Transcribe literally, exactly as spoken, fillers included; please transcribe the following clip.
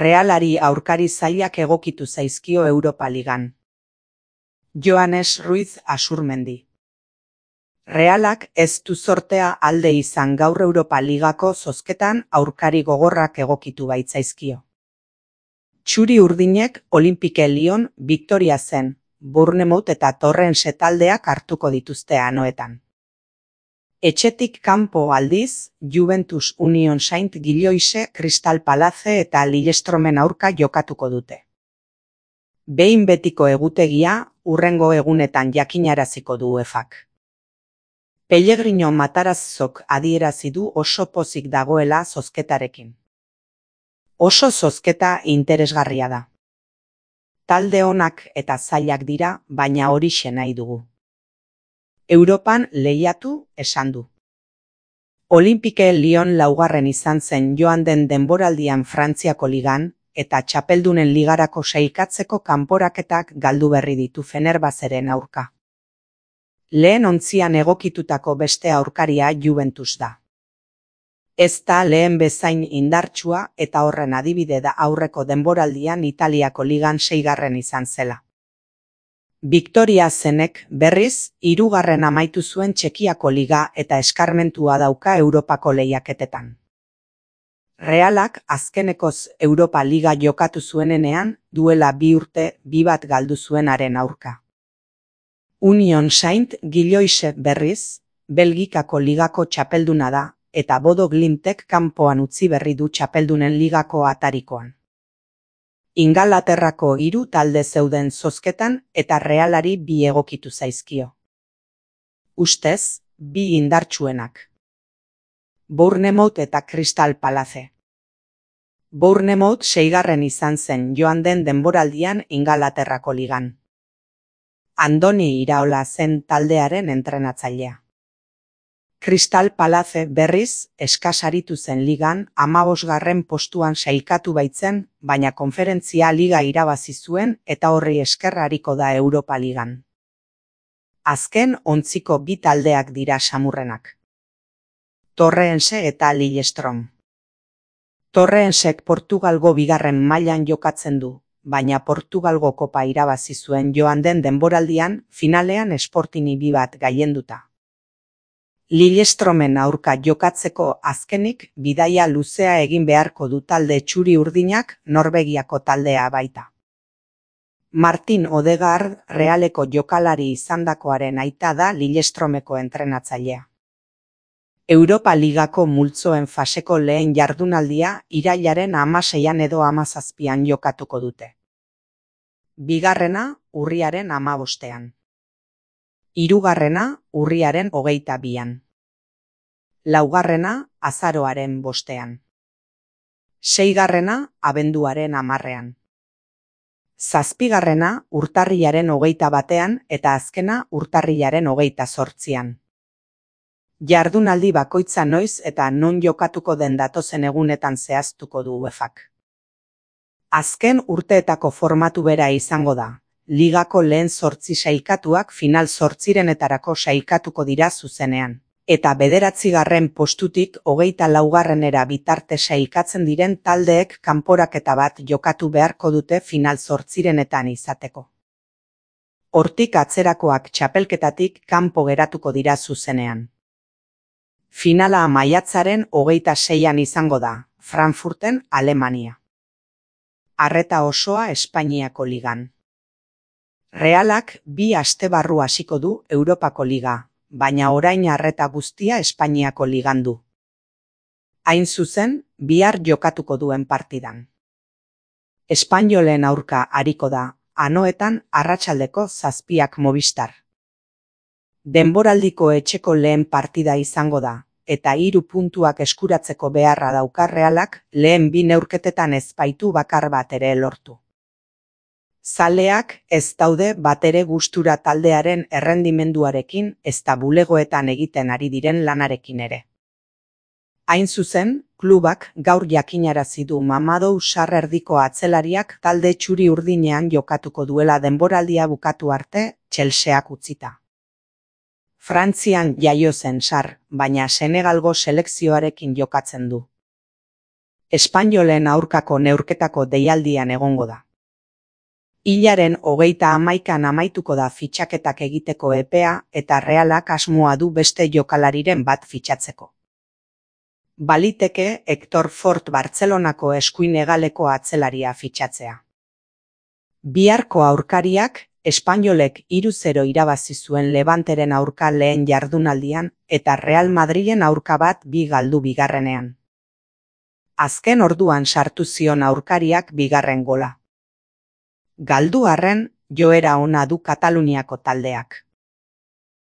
Realari aurkari zailak egokitu zaizkio Europa Ligan. Joanes Ruiz Asurmendi. Realak ez du zortea alde izan gaur Europa Ligako zozketan aurkari gogorrak egokitu baitzaizkio. Txuri urdinek Olympique Lyon Victoria zen, Bournemouth eta Torrense taldeak hartuko dituzte anoetan. Etxetik kanpo aldiz, Juventus Union Saint-Gilloise Crystal Palace eta Lillestromen aurka jokatuko dute. Behin betiko egutegia, hurrengo egunetan jakinaraziko du UEFak. Pellegrino Matarazzok adierazi du oso pozik dagoela zozketarekin. Oso zozketa interesgarria da. Talde onak eta zailak dira, baina horixe nahi dugu. Europan lehiatu esan du. Olympique Lyon laugarren izan zen joan den denboraldian Frantziako ligan, eta txapeldunen ligarako sailkatzeko kanporaketak galdu berri ditu Fenerbahceren aurka. Lehen ontzian egokitutako beste aurkaria Juventus da. Ez da lehen bezain indartsua eta horren adibide da aurreko denboraldian Italiako ligan seigarren izan zela. Victoria zenek berriz, hirugarren amaitu zuen Txekiako liga eta eskarmentua dauka Europako lehiaketetan. Realak azkenekoz Europa Liga jokatu zuenenean duela bi urte bi bat galdu zuenaren aurka. Union Saint-Gilloise berriz, Belgikako ligako txapelduna da, eta Bodo Glimtek kanpoan utzi berri du txapeldunen ligako atarikoan. Ingalaterrako hiru talde zeuden zozketan eta Realari bi egokitu zaizkio. Ustez, bi indartsuenak. Bournemouth eta Crystal Palace. Bournemouth seigarren izan zen joan den denboraldian Ingalaterrako ligan. Andoni Iraola zen taldearen entrenatzailea. Crystal Palace berriz eskasaritu zen ligan hamabosgarren postuan sailkatu baitzen, baina konferentzia liga irabazi zuen eta horri esker ariko da Europa Ligan. Azken ontziko bi taldeak dira samurrenak. Torrense eta Lillestrom. Torrensek Portugalgo bigarren mailan jokatzen du, baina Portugalgo kopa irabazi zuen joan den denboraldian finalean Sportingi bi bat gailenduta. Lillestromen aurka jokatzeko azkenik bidaia luzea egin beharko du talde txuri urdinak Norvegiako taldea baita. Martin Odegaard Realeko jokalari izandakoaren aita da Lillestromeko entrenatzailea. Europa Ligako multzoen faseko lehen jardunaldia irailaren hamaseian edo hamazazpian jokatuko dute. Bigarrena urriaren hamabostean. Hirugarrena urriaren hogeita bian. Laugarrena azaroaren bostean. Seigarrena abenduaren hamarrean. Zazpigarrena urtarrilaren hogeita batean eta azkena urtarrilaren hogeita zortzian. Jardunaldi bakoitza noiz eta non jokatuko den datozen egunetan zehaztuko du UEFak. Azken urteetako formatu bera izango da. Ligako lehen zortzi sailkatuak final zortzirenetarako sailkatuko dira zuzenean, eta bederatzigarren postutik hogeita laugarrenera bitarte sailkatzen diren taldeek kanporaketa bat jokatu beharko dute final zortzirenetan izateko. Hortik atzerakoak txapelketatik kanpo geratuko dira zuzenean. Finala maiatzaren hogeita seian izango da, Frankfurten, Alemania. Arreta osoa Espainiako ligan. Realak bi aste barru hasiko du Europako liga, baina orain arreta guztia Espainiako ligan du. Hain zuzen, bihar jokatuko duen partidan. Espainolen aurka ariko da, anoetan arratsaldeko zazpiak Movistar. Denboraldiko etxeko lehen partida izango da, eta hiru puntuak eskuratzeko beharra dauka Realak lehen bi neurketetan ez baitu bakar bat ere lortu. Zaleak ez daude batere gustura taldearen errendimenduarekin ezta bulegoetan egiten ari diren lanarekin ere. Hain zuzen, klubak gaur jakinarazi du Mamadou Sarr erdiko atzelariak talde txuri urdinean jokatuko duela denboraldia bukatu arte Chelseak utzita. Frantzian jaio zen Sarr, baina Senegalgo selekzioarekin jokatzen du. Espainolen aurkako neurketako deialdian egongo da. Hilaren hogeita hamaikan amaituko da fitxaketak egiteko epea eta Realak asmoa du beste jokalariren bat fitxatzeko. Baliteke Hector Fort Bartzelonako eskuin hegaleko atzelaria fitxatzea. Biharko aurkariak espainolek hiru zero irabazi zuen Levanteren aurka lehen jardunaldian eta Real Madrilen aurka bat bi galdu bigarrenean. Azken orduan sartu zion aurkariak bigarren gola. Galdu arren, joera ona du Kataluniako taldeak.